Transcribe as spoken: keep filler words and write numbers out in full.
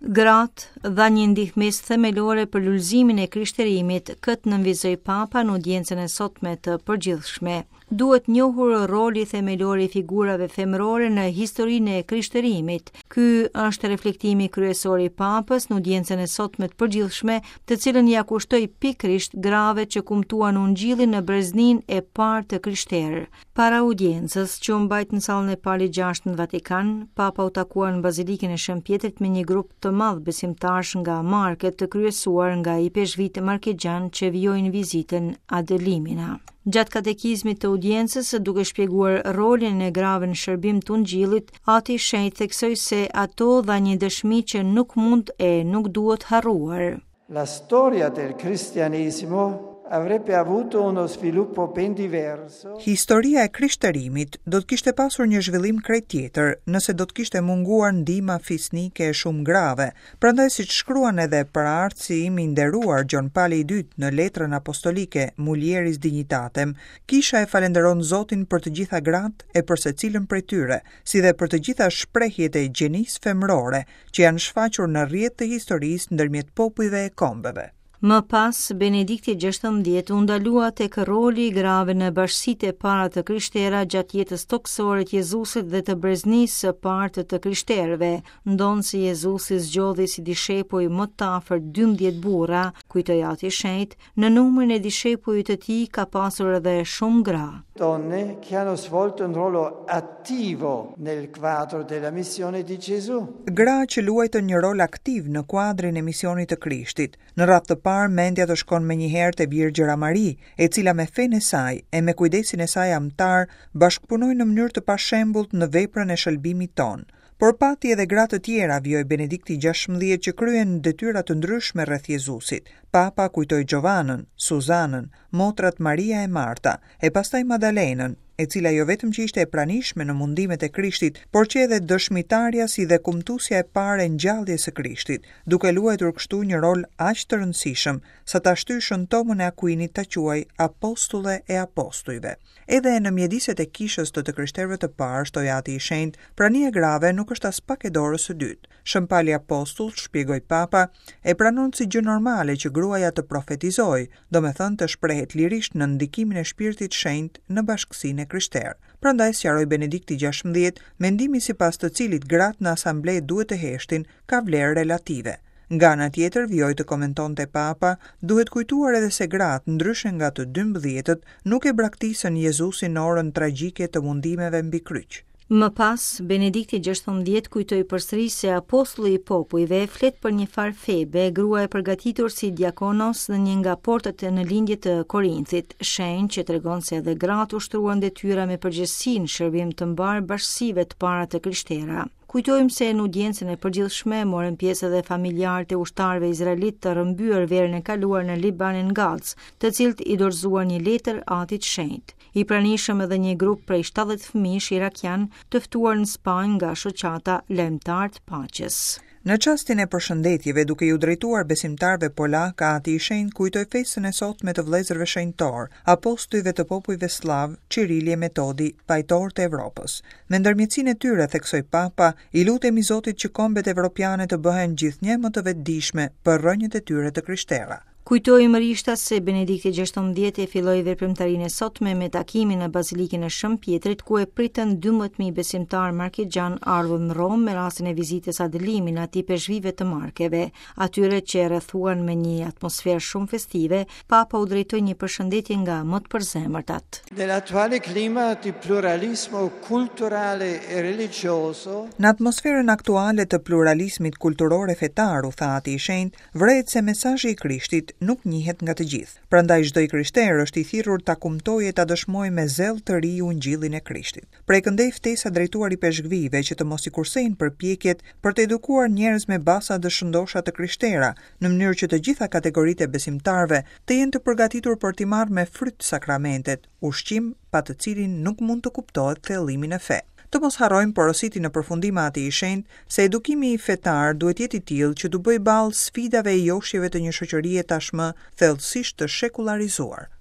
Gratë dha një ndihmesë themelore për lulëzimin e krishterimit, këtë nënvizoi Papa në audiencën e sotme të përgjithshme. Duhet njohur roli themelor i figurave femërore në historinë e krishterimit. Ky është reflektimi kryesor i Papës në audiencën e sotme të përgjithshme, të cilën ia kushtoi pikërisht grave që kumtuan ungjillin në breznin e parë të krishterë. Para audiencës, që u mbajt në sallën e Palit gjashtë në Vatikan, Papa u takua në Bazilikën e Shën Pjetrit me një grup të madh besimtarësh nga Market të kryesuar nga ipeshkvit markegjan që vijojnë vizitën ad limina. Gjatë katekizmit të audiencës, duke shpjeguar rolin e grave në shërbim të ungjillit, Ati i Shenjtë theksoi se ato dha një dëshmi që nuk mund e nuk duhet harruar. La storia del cristianesimo avrebbe avuto uno sviluppo ben diverso. Historia e krishterimit do të kishte pasur një zhvillim krejt tjetër nëse do të kishte munguar ndihma fisnike e shumë grave. Prandaj, siç shkruan edhe paraardhësi im i nderuar Gjon Pali i Dytë në letrën apostolike Mulieris Dignitatem, kisha e falenderon Zotin për të gjitha gratë e për secilën prej tyre, si dhe për të gjitha shprehjet e gjenisë femërore që janë shfaqur në rrjet të historisë ndërmjet popujve e kombeve. Më pas, Benedikti gjashtëmbëdhjetë u ndalua tek roli i grave në bashkësitë e para të krishtera gjatë jetës tokësore të Jezusit dhe të breznisë së parë të të krishterëve. Ndonëse Jezusi zgjodhi si dishepuj më të afërt dymbëdhjetë burra, kujtoi Ati i Shenjtë, në numrin e dishepujve të tij ka pasur edhe shumë gra. Donne che hanno svolto un ruolo attivo nel quadro della missione di Gesù. Gra që luajtën një rol aktiv në kuadrin e misionit të Krishtit. Në radhë të parë, mendja të shkon menjëherë te Virgjëra Mari, e cila me fenë e saj e me kujdesin e saj amtar bashkëpunoi në mënyrë të pashembullt në veprën e shëlbimit ton. Por pati edhe gra të tjera, vijoi Benedikti gjashtëmbëdhjetë, që kryen detyra të ndryshme rreth Jezusit. Papa kujtoi Giovanën, Suzanën, motrat Maria e Marta, e pastaj Madalenën, e cila jo vetëm që ishte e pranishme në mundimet e Krishtit, por që edhe dëshmitarja si dhe kumtuesja e parë e ngjalljes së Krishtit, duke luajtur kështu një rol aq të rëndësishëm sa ta shtyjë Shën Tomën e Akuinit ta quaj apostulle e apostujve. Edhe në mjediset e kishës të të krishterëve të parë, shtoi Ati i Shenjtë, prania e grave nuk është as pak e dorës së dytë. Shën Pali Apostull, shpjegoi Papa, e pranon si gjë normale që gruaja të profetizojë, domethënë të shprehet lirisht në ndikimin e Shpirtit Shenjt në bashkësinë e krishterë. Prandaj, sqaroi Benedikti gjashtëmbëdhjetë, mendimi sipas të cilit gratë në asamble duhet të heshtin ka vlerë relative. Nga ana tjetër, vijoi të komentonte Papa, duhet kujtuar edhe se gratë, ndryshe nga të dymbëdhjetët, nuk e braktisën Jezusin në orën tragjike të mundimeve mbi kryq. Më pas, Benedikti gjashtëmbëdhjetë kujtoi përsëri se apostulli i popujve flet për një farë Febe, grua e përgatitur si diakonos në një nga portat në lindje të Korinthit, shenjë që tregon se edhe gratë ushtruan detyra me përgjegjësi në shërbim të mbar bashkësive të para të krishtera. Kujtojmë se në audiencën e përgjithshme morën pjesë edhe familjarët e ushtarëve izraelit të rrëmbyer verën e kaluar në Libanin Gazë, të cilët i dorëzuan një letër Atit Shenjt. I pranishëm edhe një grup prej shtatëdhjetë fëmijësh irakian të ftuar në Spanjë nga shoqata Lajmëtar të Paqes. Në çastin e përshëndetjeve, duke iu drejtuar besimtarëve polak, Ati i Shenjtë kujtoi festën e sotme të vëllezërve shenjtor, apostujve të popujve sllav, Cirili e Metodi, pajtor të Evropës. Me ndërmjetësinë e tyre, theksoi Papa, i lutemi Zotit që kombet evropiane të bëhen gjithnjë më të vetëdijshme për rrënjët e tyre të krishtera. Kujtojmë rishta se Benedikti gjashtëmbëdhjetë e filloi veprimtarinë e sotme me takimin në Bazilikën e Shën Pjetrit, ku e pritën dymbëdhjetë mijë besimtarë markegjan ardhur në Romë me rastin e vizitës ad limina të ipeshkvive të Markeve. Atyre që e rrethuan me një atmosferë shumë festive, Papa u drejtoi një përshëndetje nga më të përzemërtat. Nell'attuale clima di pluralismo culturale e religioso, Në atmosferën aktuale të pluralizmit kulturor e fetar, u tha Ati i Shenjtë, vërehet se mesazhi i Krishtit nuk njihet nga të gjithë. Prandaj çdo i krishterë është i thirrur ta kumtojë e ta dëshmojë me zell të ri ungjillin e Krishtit. Prej këndej ftesa drejtuar i peshkvive që të mos i kursejnë përpjekjet për të edukuar njerëz me basa dhe shëndosha të krishtera, në mënyrë që të gjitha kategoritë e besimtarëve të jenë të përgatitur për t'i marrë me fryt sakramentet, ushqim pa të cilin nuk mund të kuptohet thellimi në fe. Të mos harrojmë porositin në përfundim Ati i Shenjtë se edukimi fetar duhet jetë i tillë që t'u bëjë ballë sfidave e joshjeve të një shoqërie tashmë thellësisht të shekullarizuar.